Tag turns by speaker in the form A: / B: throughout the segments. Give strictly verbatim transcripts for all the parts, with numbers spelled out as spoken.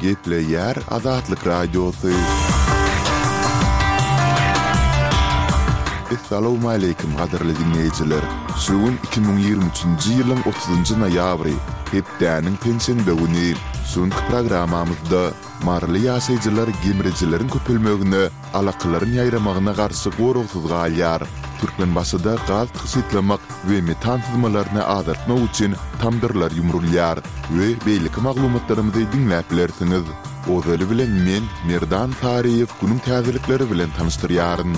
A: Gepleýär Azatlyk Radiosy. Essalawmaleýkim gadyrly diňleýjiler! Şu gün iki müň ýigrimi üçünji ýylyň otuzynjy noýabry, hepdäniň penşenbe güni. Şu günki programmamyzda maryly ýaşaýjylar gemrijileriň köpelmegine alakalaryň ýaýramagyna garşy goragsyz galýar. Türkmenbaşyda gaz tygşytlamak we metan syzmalaryny azaltmak üçin tamdyrlar ýumrulýar we beýleki maglumatlarymyzy diňläp bilersiňiz. Ozaly bilen men, Merdan Saryýew günüň täzelikleri bilen tanyşdyrýaryn.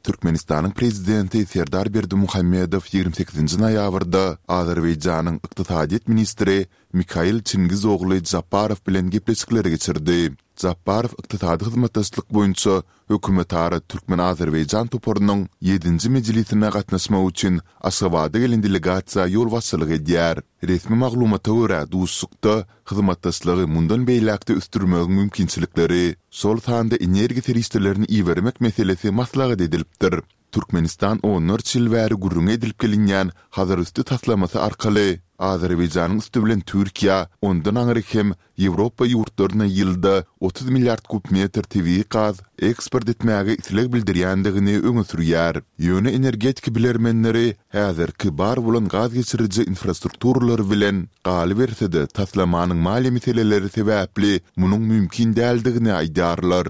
A: Türkmenistanyň Prezidenti Serdar Berdimuhamedow ýigrimi sekizinji noýabrda Azerbaýjanyň ykdysadyýet ministri Mikail Çingiz ogly Japbarow bilen gepleşikleri geçirdi. Japbarow ykdysady hyzmatdaşlyk boýunça hökümetara türkmen-azerbaýjan toparynyň ýedinji mejlisine gatnaşmak üçin Aşgabada gelen delegasiýa ýolbaşçylyk edýär. Resmi maglumata görä, duşuşykda hyzmatdaşlygy mundan beýläk-de ösdürmegiň mümkinçilikleri, şol sanda energiýa serişdelerini ibermek meselesi maslahat edilipdir. Türkmenistan onlarça ýyl bäri gürrüňi edilip gelinýän Hazarüsti taslamasy arkaly Azerbaýjanyň üsti bilen Türkiýä, ondan aňry hem Ýewropa ýurtlaryna ýylda otuz milliard kub metr tebigy gaz eksport etmäge isleg bildirýändigini öňe sürýär. Ýöne energetika bilermenleri häzirki bar bolan gaz geçiriji infrastrukturalary bilen, galyberse-de taslamanyň maliýe meseleleri sebäpli munuň mümkin däldigini aýdýarlar.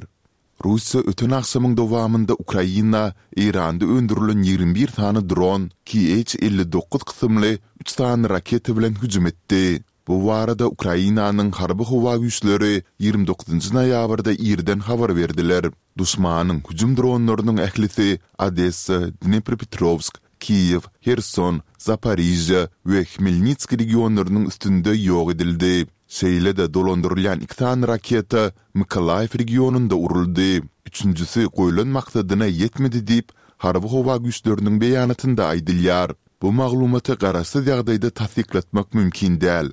A: Russiýa öten agşamyň dowamynda Ukraina Eýranda öndürilen ýigrimi bir sany dron, KH elli dokuz kysymly üç sany raketa bilen hüjüm etdi. Bu barada Ukrainanyň Harby-howa güýçleri ýigrimi dokuzynjy noýabrda irden habar berdiler. Duşmanyň hüjüm dronlarynyň ählisi Odessa, Dnepropetrowsk, Kiýew, Herson, Zaporižýa we Hmelnitskiý regionlarynyň üstünde ýok edildi. Şeýle-de dolandyrylýan iki sany raketa Mykolaýiw regionynda uruldy. Üçünjisi goýlan maksadyna ýetmedi diýip, Harby-howa güýçleriniň beýanatynda aýdylýar. Bu maglumaty garaşsyz ýagdaýda tassyklatmak mümkin däl.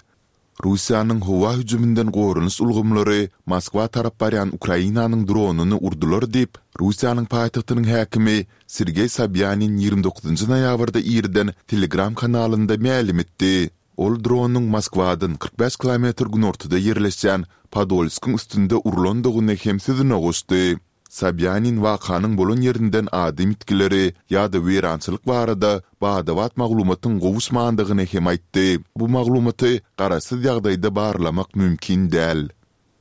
A: Russiýanyň howa hüjüminden goranyş ulgamlary Moskwa tarap barýan Ukrainanyň dronyny urdular diýip, Russiýanyň paýtagtynyň häkimi Sergeý Sobýanin ýigrimi dokuzynjy noýabrda irden Telegram kanalynda mälim etdi. Ol dronyň Moskwadan kyrk bäş kilometr günortada ýerleşýän Podolskyň üstünde urlandygyny hem sözüne goşdy. Sobýanin wakanyň bolan ýerinden adam ýitgileri ýa-da weýrançylyk barada bada-bat maglumatyň gowuşmandygyny hem aýtdy. Bu maglumaty garaşsyz ýagdaýda barlamak mümkin däl.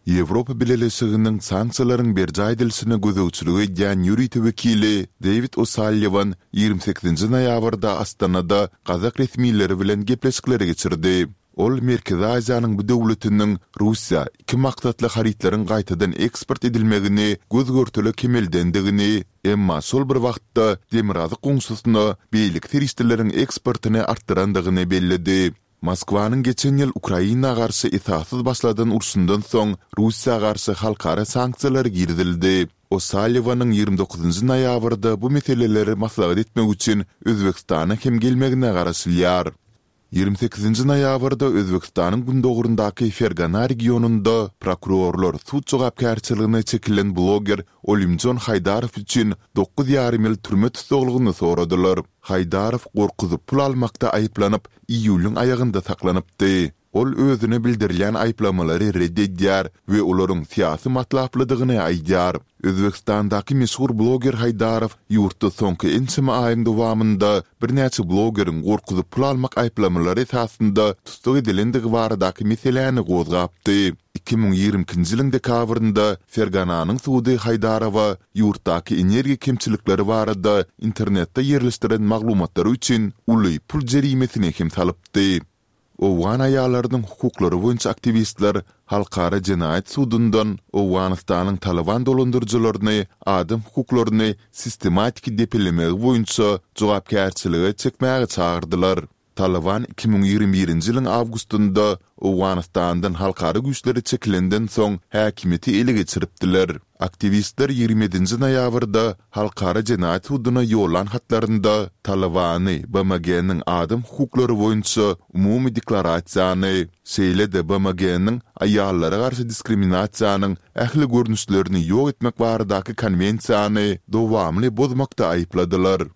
A: Ýewropa Bileleşiginiň sanksiýalaryň berjaý edilişine gözegçilik edýän ýörite wekili Dewid O'Salliwan ýigrimi sekizinji noýabrda Astanada gazak resmileri bilen gepleşikleri geçirdi. Ol Merkezi Aziýanyň bu döwletiniň Russiýa iki maksatly harytlaryň gaýtadan eksport edilmegini göz-görtele kemeldendigini, emma şol bir wagtda demirgazyk goňşusyna beýleki serişdeleriň eksportyny artdyrandygyny belledi. Moskwanyň geçen ýyl Ukraina garşy esassyz başladan urşundan soň Russiýa garşy halkara sanksiýalary girizildi. O'Salliwanyň ýigrimi dokuzynjy noýabrda bu meseleleri maslahat etmek üçin Özbegistana hem gelmegine garaşylýar. Ýigrimi sekizinji noýabrda Özbegistanyň gündogaryndaky Fergana regionynda prokurorlar sud jogapkärçiligine çekilen bloger Olimjon Haýdarow üçin dokuz ýarym ýyl türme tussaglygyny soradylar. Haýdarow gorkuzyp pul almakda aýyplanyp, iýulyň aýagynda saklanypdy. Ol özüne bildirilýän aýyplamalary ret edýär we olaryň syýasy matlaplydygyny aýdýar. Özbegistandaky meşhur bloger Haýdarow ýurtda soňky ençeme aýyň dowamynda birnäçe blogeriň gorkuzyp pul almak aýyplamalary esasynda tussag edilendigi baradaky meseläni gozgapdy. Iki müň ýigrimi ikinji ýylyň dekabrynda Fergananyň sudy Haýdarowa ýurtdaky energiýa kemçilikleri barada internetde ýerleşdiren maglumatlary üçin uly pul jerimesini hem salypdy. Owgan aýallarynyň hukuklary boýunça aktiwistler Halkara jenaýat sudundan Owganystanyň Talyban dolandyryjylaryny adam hukuklaryny sistematiki depelemegi boýunça jogapkärçilige çekmäge çagyrdylar. Talyban iki müň ýigrimi birinji ýylyň awgustynda Owganystandan halkara güýçleri çekilenden soň häkimiýeti ele geçiripdiler. Aktiwistler ýigrimi ýedinji noýabrda Halkara jenaýat suduna ýollan hatlarynda Talybany BMG-niň Adam hukuklary boýunça Umumy deklarasiýany, şeýle-de BMG-niň Aýallara garşy diskriminasiýanyň ähli görnüşlerini ýok etmek baradaky konwensiýany dowamly bozmakda aýypladylar.